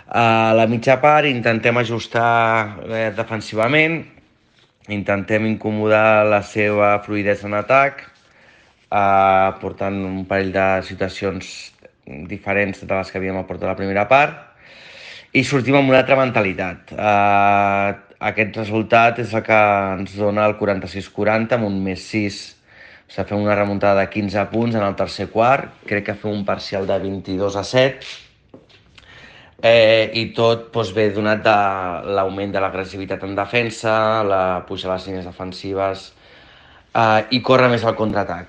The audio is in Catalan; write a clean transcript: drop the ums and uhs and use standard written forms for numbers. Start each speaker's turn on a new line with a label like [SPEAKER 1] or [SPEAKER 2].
[SPEAKER 1] A la mitja part intentem ajustar defensivament, intentem incomodar la seva fluïdesa en atac, portant un parell de situacions diferents de les que havíem aportat a la primera part, i sortim amb una altra mentalitat. Aquest resultat és el que ens dona el 46-40 amb un +6. O sigui, fem una remuntada de 15 punts en el tercer quart, crec que fem un parcial de 22-7, i tot ve donat de l'augment de l'agressivitat en defensa, la puja a les línies defensives i córrer més al contraatac.